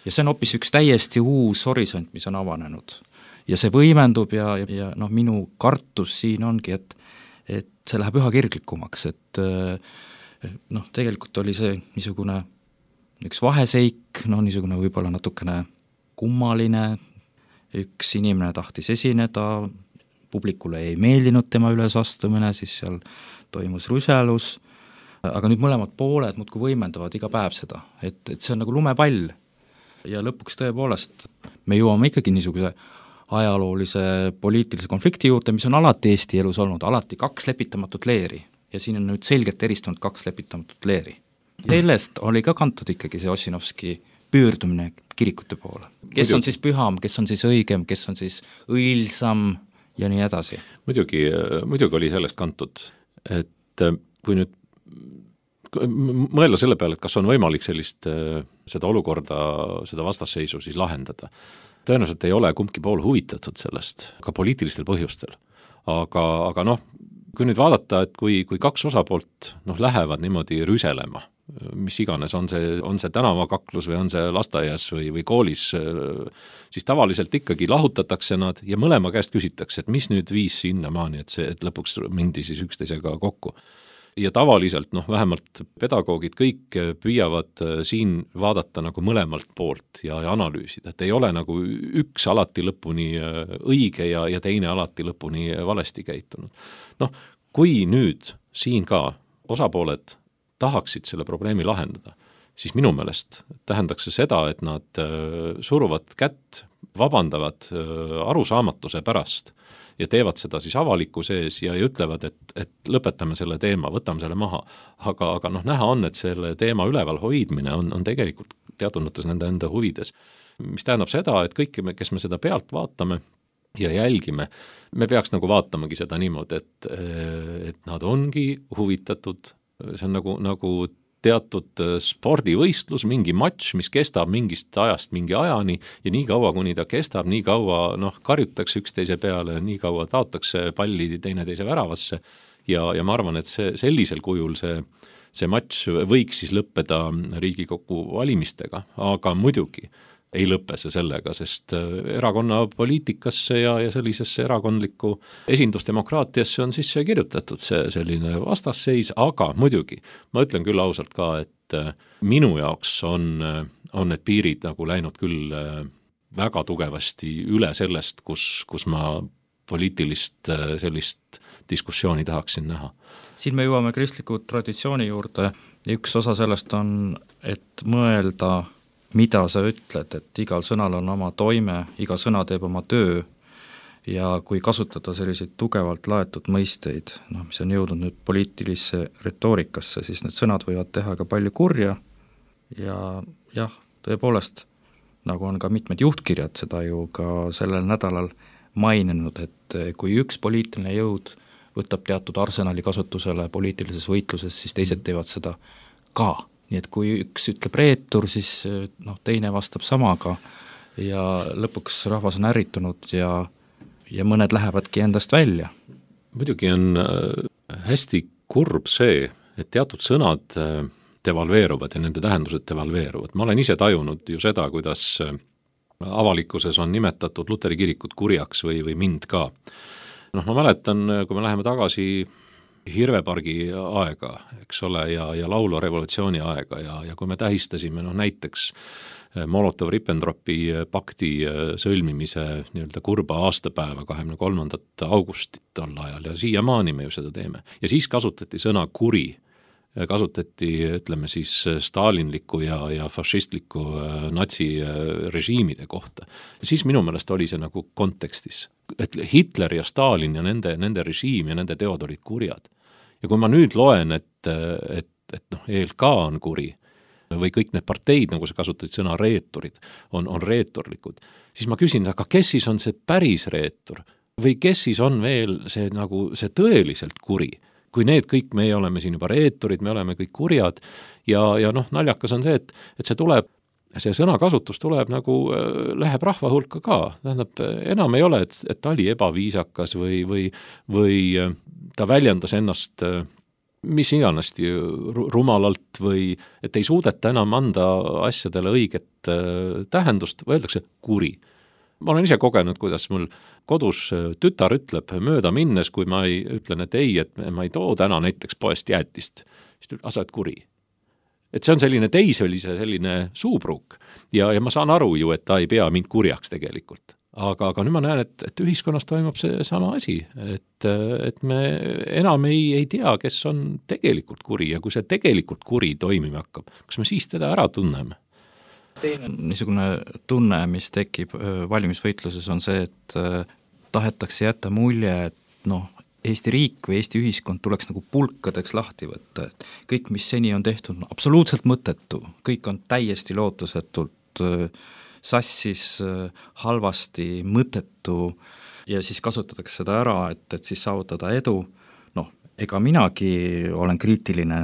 Ja see on hoopis üks täiesti uus horisont, mis on avanenud. Ja see võimendub ja, ja, ja noh, minu kartus siin ongi, et, et see läheb üha kirglikumaks, et noh, tegelikult oli see niisugune üks vaheseik, noh, niisugune võib-olla natukene kummaline, üks inimene tahtis esineda, publikule ei meeldinud tema ülesastumine, siis seal toimus ruselus, aga nüüd mõlemad pooled muudkui võimendavad iga päev seda, et, et see on nagu lumepall ja lõpuks tõepoolest me jõuame ikkagi niisuguse ajaloolise poliitilise konflikti juurde, mis on alati Eesti elus olnud, alati kaks lepitamatut leeri ja siin on nüüd selgelt eristunud kaks lepitamatut leeri. Sellest oli ka kantud ikkagi see Ossinovski pöördumine kirikute poole. Kes muidugi on siis püham, kes on siis õigem, kes on siis õilsam ja nii edasi? Muidugi, muidugi oli sellest kantud, et kui nüüd mõelda selle peale, et kas on võimalik sellist, seda olukorda, seda vastasseisu siis lahendada. Tõenäoliselt ei ole kumbki pool huvitatud sellest, ka poliitilistel põhjustel. Aga, aga noh, kui nüüd vaadata, et kui, kui kaks osapoolt noh, lähevad niimoodi rüselema, mis iganes, on see, on see tänavakaklus või on see lasteaias või, või koolis, siis tavaliselt ikkagi lahutatakse nad ja mõlema käest küsitakse, et mis nüüd viis sinnamaani, et see, et lõpuks mindi siis üksteisega kokku. Ja tavaliselt, noh, vähemalt pedagoogid kõik püüavad siin vaadata nagu mõlemalt poolt ja, ja analüüsida, et ei ole nagu üks alati lõpuni õige ja, ja teine alati lõpuni valesti käitunud. Noh, kui nüüd siin ka osapooled tahaksid selle probleemi lahendada, siis minu meelest tähendaks see seda, et nad suruvad kätt, vabandavad arusaamatuse pärast ja teevad seda siis avaliku sees ja ütlevad, et, et lõpetame selle teema, võtame selle maha. Aga, aga noh, näha on, et selle teema üleval hoidmine on, on tegelikult teatud mõttes nende enda huvides. Mis tähendab seda, et kõik, kes me seda pealt vaatame ja jälgime, me peaks nagu vaatamagi seda niimoodi, et, et nad ongi huvitatud. See on nagu, nagu teatud spordivõistlus, mingi matš, mis kestab mingist ajast mingi ajani ja nii kaua, kuni ta kestab, nii kaua noh, karjutakse üksteise peale, nii kaua taotakse palli teine teise väravasse ja, ja ma arvan, et see, sellisel kujul see, see matš võiks siis lõppeda Riigikogu valimistega, aga muidugi ei lõpe see sellega, sest erakonna poliitikasse ja, ja sellisesse erakondlikku esindusdemokraatiasse on sisse kirjutatud see selline vastasseis, aga muidugi, ma ütlen küll ausalt ka, et minu jaoks on, on need piirid nagu läinud küll väga tugevasti üle sellest, kus, kus ma poliitilist sellist diskussiooni tahaksin näha. Siin me jõuame kristliku traditsiooni juurde ja üks osa sellest on, et mõelda, mida sa ütled, et igal sõnal on oma toime, iga sõna teeb oma töö ja kui kasutada selliseid tugevalt laetud mõisteid, noh, mis on jõudnud nüüd poliitilisse retoorikasse, siis need sõnad võivad teha ka palju kurja ja jah, tõepoolest, nagu on ka mitmed juhtkirjad seda ju ka sellel nädalal maininud, et kui üks poliitiline jõud võtab teatud arsenali kasutusele poliitilises võitluses, siis teised teevad seda ka. Nii et kui üks ütleb reetur, siis noh, teine vastab samaga ja lõpuks rahvas on ärritunud ja, ja mõned lähevadki endast välja. Muidugi on hästi kurb see, et teatud sõnad devalveeruvad ja nende tähendused devalveeruvad. Ma olen ise tajunud ju seda, kuidas avalikkuses on nimetatud Luteri kirikut kurjaks või, või mind ka. Noh, ma mäletan, kui me läheme tagasi Hirvepargi aega, eks ole, ja, ja laulu revolutsiooni aega ja, ja kui me tähistasime noh, näiteks Molotov-Ribbentropi pakti sõlmimise nii-öelda kurba aastapäeva kahekümne kolmandat augustit tol ajal ja siiamaani me ju seda teeme. Ja siis kasutati sõna kuri, kasutati, ütleme siis, stalinliku ja, ja fašistliku natsirežiimide kohta. Ja siis minu meelest oli see nagu kontekstis, et Hitler ja Stalin ja nende, nende režiim ja nende teod olid kurjad. Ja kui ma nüüd loen, et, et, et noh, E L K on kuri või kõik need parteid, nagu sa kasutasid sõna reeturid, on, on reeturlikud, siis ma küsin, aga kes siis on see päris reetur või kes siis on veel see, nagu, see tõeliselt kuri? Kui need kõik, me oleme siin juba reeturid, me oleme kõik kurjad ja, ja noh, naljakas on see, et, et see tuleb, see sõnakasutus tuleb nagu, läheb rahva hulka ka. Tähendab, enam ei ole, et, et ta oli ebaviisakas või, või, või ta väljendas ennast mis iganasti rumalalt või et ei suudeta enam anda asjadele õiget tähendust, öeldakse kuri. Ma olen ise kogenud, kuidas mul kodus tütar ütleb mööda minnes, kui ma ei ütlen, et ei, et ma ei too täna näiteks poest jäätist, siis ütleb, asa, et kuri. Et see on selline teisvelise selline suupruuk ja, ja ma saan aru ju, et ta ei pea mind kurjaks tegelikult. Aga, aga nüüd ma näen, et, et ühiskonnas toimub see sama asi, et, et me enam ei, ei tea, kes on tegelikult kuri ja kui see tegelikult kuri toimima hakkab, kas me siis teda ära tunneme? Teine niisugune tunne, mis tekib valimisvõitluses, on see, et tahetakse jätta mulje, et noh, Eesti riik või Eesti ühiskond tuleks nagu pulkadeks lahti võtta, et kõik, mis seni on tehtud, on absoluutselt mõttetu, kõik on täiesti lootusetult sassis, halvasti, mõttetu ja siis kasutatakse seda ära, et, et siis saavutada edu. Noh, ega minagi olen kriitiline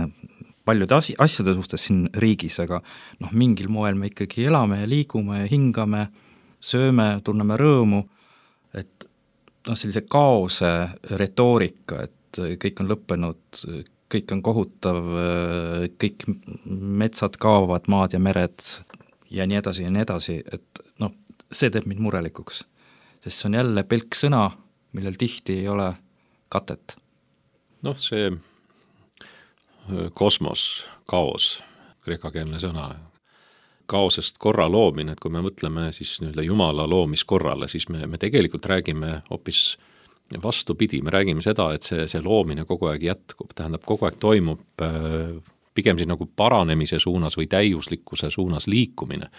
paljude as- asjade suhtes siin riigis, aga noh, mingil moel me ikkagi elame ja liigume ja hingame, sööme, tunneme rõõmu, et noh, sellise kaose retoorika, et kõik on lõppenud, kõik on kohutav, kõik metsad kaovad, maad ja mered ja nii edasi ja nii edasi, et noh, see teeb mind murelikuks, sest see on jälle pelk sõna, millel tihti ei ole katet. Noh, see kosmos, kaos, kreekakeelne sõna, kaosest korra loomine, et kui me mõtleme siis nii-öelda Jumala loomiskorrale, siis me, me tegelikult räägime hoopis vastupidi, me räägime seda, et see, see loomine kogu aeg jätkub, tähendab, kogu aeg toimub pigem siis nagu paranemise suunas või täiuslikkuse suunas liikumine.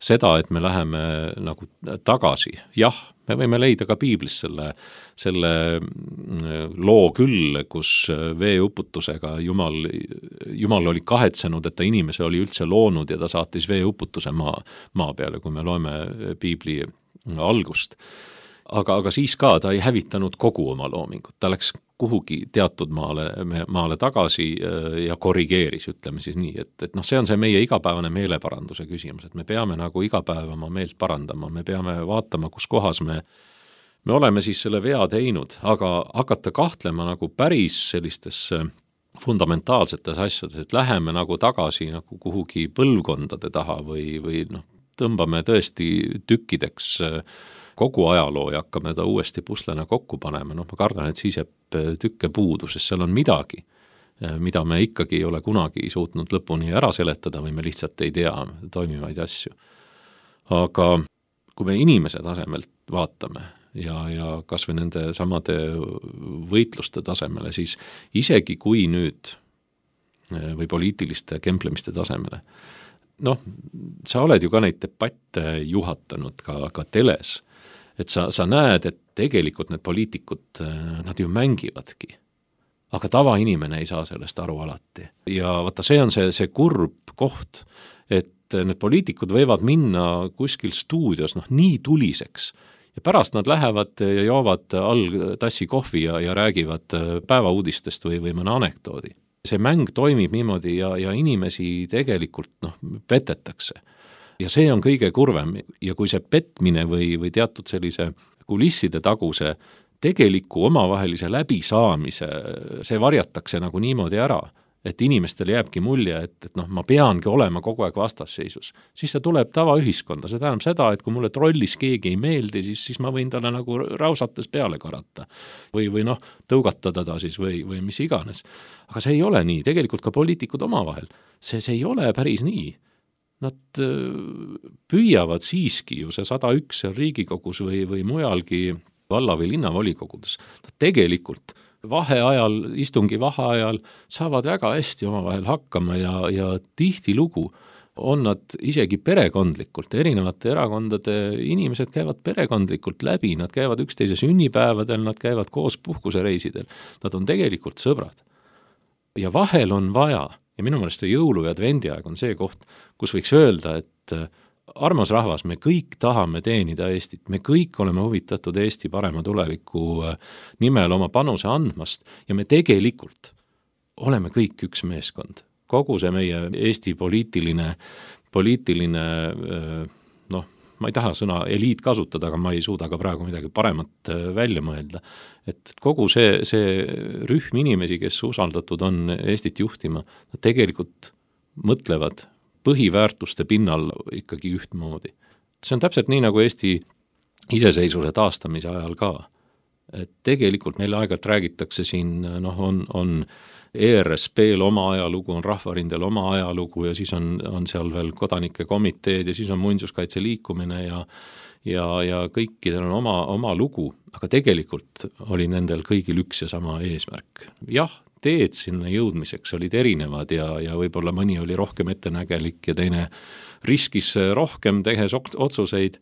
Seda, et me läheme nagu tagasi, jah, me võime leida ka piiblis selle, selle loo küll, kus veeuputusega Jumal, Jumal oli kahetsenud, et ta inimese oli üldse loonud ja ta saatis veeuputuse maa, maa peale, kui me loeme piibli algust. Aga, aga siis ka ta ei hävitanud kogu oma loomingut, ta läks kuhugi teatud maale, maale tagasi ja korrigeeris, ütleme siis nii, et, et noh, see on see meie igapäevane meeleparanduse küsimus, et me peame nagu iga päev oma meelt parandama, me peame vaatama, kus kohas me, me oleme siis selle vea teinud, aga hakata kahtlema nagu päris sellistes fundamentaalsetes asjades, et läheme nagu tagasi nagu kuhugi põlvkondade taha või, või noh, tõmbame tõesti tükkideks kogu ajaloo ja hakkame ta uuesti puslena kokku panema, noh ma kardan, et siis jääb tükke puudu, sest seal on midagi, mida me ikkagi ei ole kunagi suutnud lõpuni ära seletada või me lihtsalt ei tea toimivaid asju. Aga kui me inimese tasemelt vaatame ja, ja kas või nende samade võitluste tasemele, siis isegi kui nüüd või poliitiliste kemplemiste tasemele, noh, sa oled ju ka neid debatte juhatanud ka, ka teles, et sa, sa näed, et tegelikult need poliitikud, nad ju mängivadki, aga tavainimene ei saa sellest aru alati. Ja vaata, see on see, see kurb koht, et need poliitikud võivad minna kuskil stuudios noh, nii tuliseks ja pärast nad lähevad ja joovad all tassi kohvi ja, ja räägivad päevauudistest või, või mõne anekdoodi. See mäng toimib niimoodi ja, ja inimesi tegelikult noh, petetakse. Ja see on kõige kurvem ja kui see petmine või, või teatud sellise kulisside taguse tegeliku omavahelise läbisaamise, see varjatakse nagu niimoodi ära, et inimestele jääbki mulje, et, et noh, ma peangi olema kogu aeg vastasseisus. Siis see tuleb tavaühiskonda, see tähendab seda, et kui mulle trollis keegi ei meeldi, siis, siis ma võin talle nagu rausates peale karata või, või noh, tõugatada ta siis või, või mis iganes. Aga see ei ole nii, tegelikult ka poliitikud omavahel. See, see ei ole päris nii. Nad püüavad siiski ju see sada üks Riigikogus või, või mujalgi valla- või linnavolikogudes. Nad tegelikult vaheajal, istungi vaheajal saavad väga hästi omavahel hakkama ja, ja tihti lugu on nad isegi perekondlikult, erinevate erakondade inimesed käivad perekondlikult läbi, nad käivad üksteise sünnipäevadel, nad käivad koos puhkusereisidel, nad on tegelikult sõbrad. Ja vahel on vaja, ja minu meelest see jõulu- ja advendiaeg on see koht, kus võiks öelda, et armas rahvas, me kõik tahame teenida Eestit, me kõik oleme huvitatud Eesti parema tuleviku nimel oma panuse andmast ja me tegelikult oleme kõik üks meeskond. Kogu see meie Eesti poliitiline, poliitiline noh, ma ei taha sõna eliit kasutada, aga ma ei suuda ka praegu midagi paremat välja mõelda. Et kogu see, see rühm inimesi, kes usaldatud on Eestit juhtima, nad tegelikult mõtlevad põhiväärtuste pinnal ikkagi ühtmoodi. See on täpselt nii, nagu Eesti iseseisvuse taastamise ajal ka. Et tegelikult meile aegalt räägitakse siin, noh, on, on E R S P-l oma ajalugu, on Rahvarindel oma ajalugu ja siis on, on seal veel kodanike komiteed ja siis on muinsuskaitse liikumine ja, ja, ja kõikidel on oma, oma lugu, aga tegelikult oli nendel kõigil üks ja sama eesmärk. Jah, teed sinna jõudmiseks olid erinevad ja, ja võib-olla mõni oli rohkem ettenägelik ja teine riskis rohkem tehes otsuseid,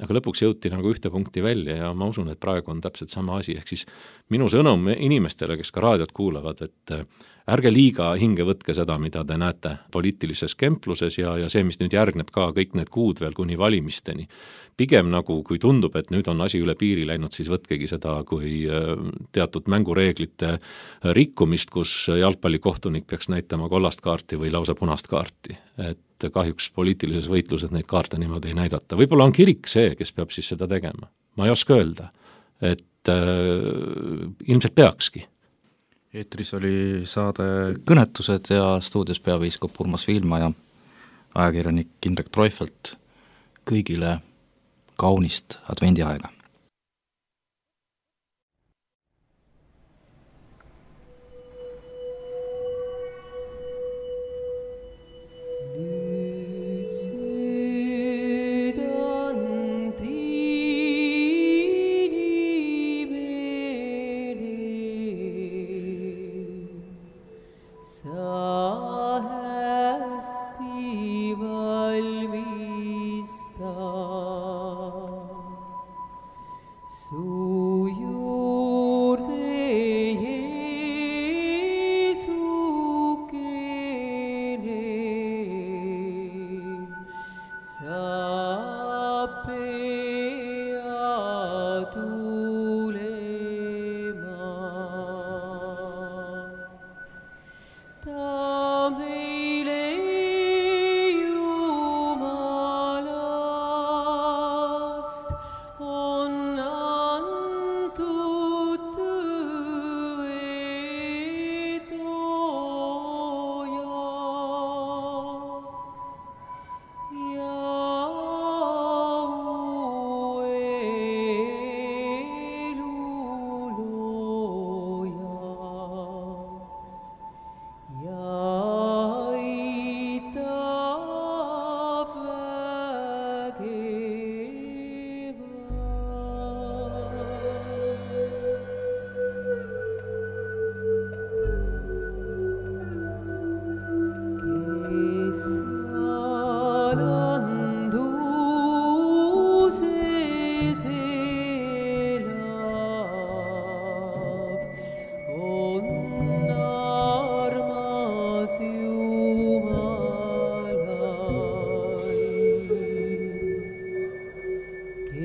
aga lõpuks jõuti nagu ühte punkti välja ja ma usun, et praegu on täpselt sama asi, ehk siis minu sõnum inimestele, kes ka raadiot kuulavad, et ärge liiga hinge võtke seda, mida te näete poliitilises kempluses ja, ja see, mis nüüd järgneb ka kõik need kuud veel kuni valimisteni. Pigem nagu, kui tundub, et nüüd on asi üle piiri läinud, siis võtkegi seda kui teatud mängureeglite rikkumist, kus jalgpallikohtunik peaks näitama kollast kaarti või lausa punast kaarti. Et kahjuks poliitilises võitluses neid kaarte niimoodi ei näidata. Võib-olla on kirik see, kes peab siis seda tegema. Ma ei oska öelda, et äh, ilmselt peakski. Eetris oli saade Kõnetused ja stuudios peapiiskop Urmas Viilma ja ajakirjanik Indrek Treufelt. Kõigile kaunist advendiaega.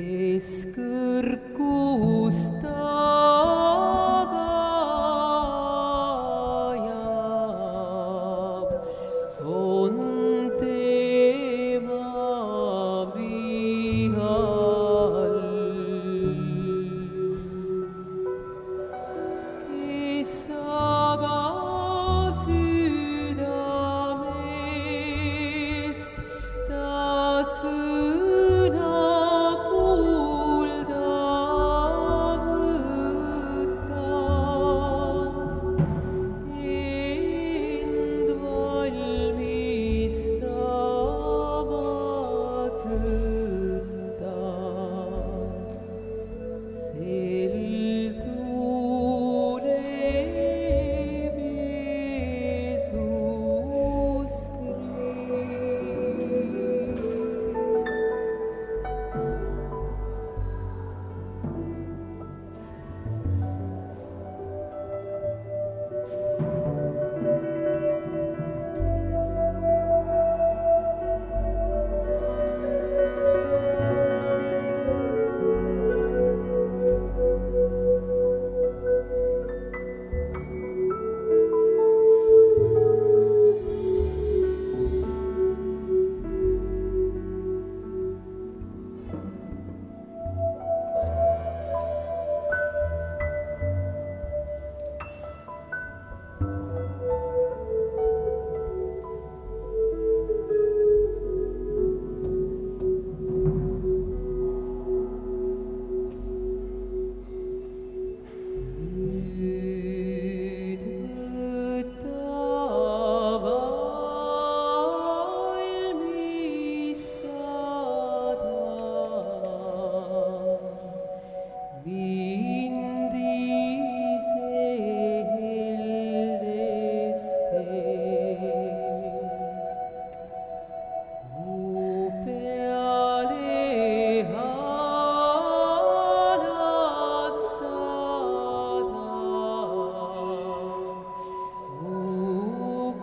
kes kõrgust taga ajab, on tema vihal. Kes aga südamest ta sõna kuulda võtab, end valmistama tõttab. Sel tuleb Jeesus nüüd võta valmistada mind ise heldeste. Mu peale anastada, mu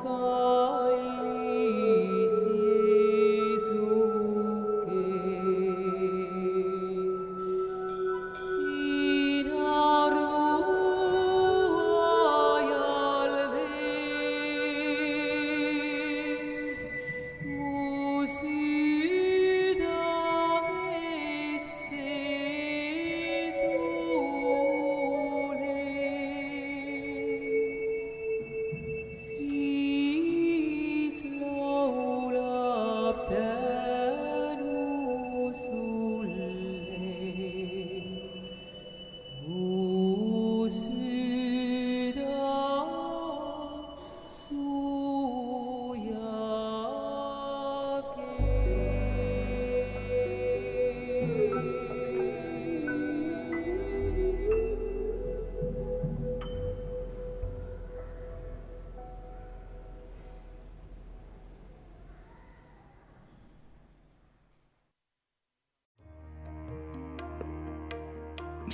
kallis Jeesuke. Siin armu ajal veel mu südamesse tule, siis laulab tänu sulle mu süda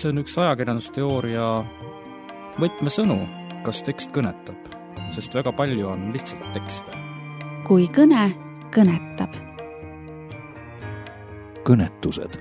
see on üks ajakirjandusteooria võtmesõnu, kas tekst kõnetab, sest väga palju on lihtsalt tekste. kui kõne kõnetab. kõnetused